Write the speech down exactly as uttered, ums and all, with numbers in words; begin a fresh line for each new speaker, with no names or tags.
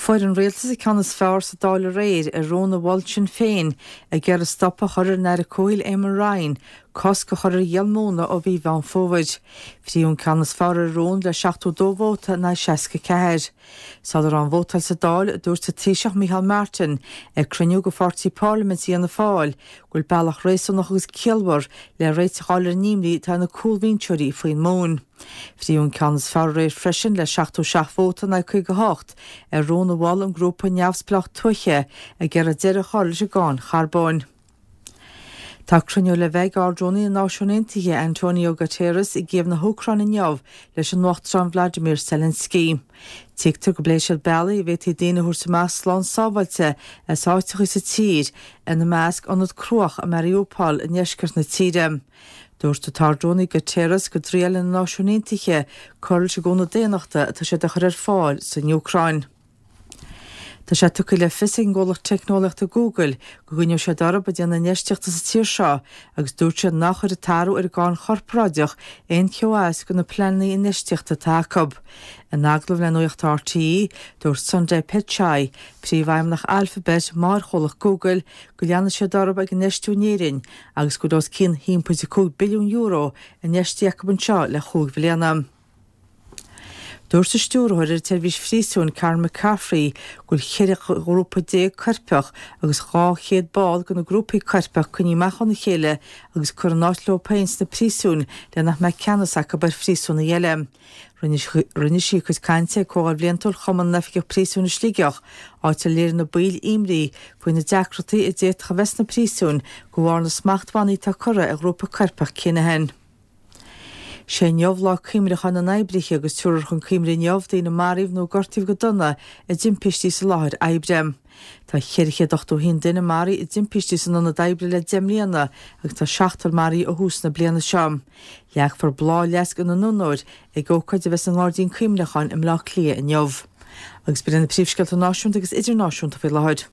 Fuair an rialtas an ceann is fearr sa Dáil aréir ar rún a mhol Sinn Féin ag iarraidh stop a chur ar an Aire Comhshaoil Eamon Ryan cosc a chur ar dhíol móna ó mhí Mheán Fómhair. Frítheadh an ceann is fearr ar an rún le seachtó dó vóta in aghaidh seasca ceathair. Sula raibh an vótáil sa Dáil, dúirt an Taoiseach Micheál Martin ag cruinniú de pháirtí parlaiminte Fhianna Fáil go bhfuil bealach réasúnach agus ciallmhar le réiteach a fháil ar an imní atá ar na cúlbhinseoirí faoin móin. Frítheadh an ceann is fearr aréir freisin le seachtó seacht vóta in aghaidh caoga hocht ar rún a mhol an grúpa neamhspleách tuaithe ag iarraidh deireadh a chur leis an gcáin charbóin. Tá cruinniú le bheith ag Ard-Rúnaí na Náisiún Aontaithe Antonio Guterres i gCív na hÚcráine inniu leis an Uachtarán Vladimir Zelensky. Tuigtear go bpléifidh siad bealaí a bhféadfaí daoine a thabhairt amach slán sábháilte as áiteacha sa tír, ina measc ionad cruach i Mariupol i ndeisceart na tíre. Dúirt an tArd-Rúnaí Guterres go dtriaileann na Náisiúin Aontaithe cur leis an gcúnamh daonnachta atá siad a chur ar fáil san Úcráin. Tá sé tugtha le fios ag an gcomhlacht teicneolaíochta Google go gcoinneoidh siad orthu ag déanamh infheistíochta sa tír seo agus dúirt siad nach gcuirfidh an t-athrú ar an gcáin chorparáideach aon cheo as do na pleananna infheistíochta atá acu. In agallamh le Nuacht RTÉ, dúirt Sundar Pichai, príomhfheidhmeannach Alphabet, máthairchomhlacht Google, go leanfaidh siad orthu ag infheistiú in Éirinn agus go bhfuil os cionn a haon pointe cúig billiún euro infheistithe acu anseo le chúig bhliana. Dúirt an stiúrthóir ar an tseirbhís phríosúin Karen McCaffrey go bhfuil ceithre ghrúpa déag coirpeach agus dhá chéad ball de na grúpaí coirpeach coinnithe amach óna chéile agus curtha in áit leo féin sna príosúin le nach mbeadh ceannas acu ar phríosúnaigh eile. Rinne sí a cuid cainte ag Comhdháil Bhliantúil Chumann na nOifigeach Príosúin i Sligeach, áit ar léirigh na baill imní faoi na deacrachtaí a d'fhéadfadh a bheith sna príosúin de bharr na smachtbhannaí atá curtha ar ghrúpa coirpeach Kinahan. Sé inniu lá cuimhneacháin na n-oibrithe agus tabharfar chun cuimhne inniu daoine a maraíodh nó gortaíodh go dona i dtimpistí sa láthair oibre. Tá ceithre chéad ochtó haon duine maraithe i dtimpistí san ionad oibre le deich mbliana agus tá seachtar maraithe ó thús na bliana seo. Leagfar bláthfhleasc ina n-onóir ag ócáid a bheas i nGairdín Cuimhneacháin i mBleá Cliath inniu. Agus b'in na príomhscéalta náisiúnta agus idirnáisiúnta faoi láthair.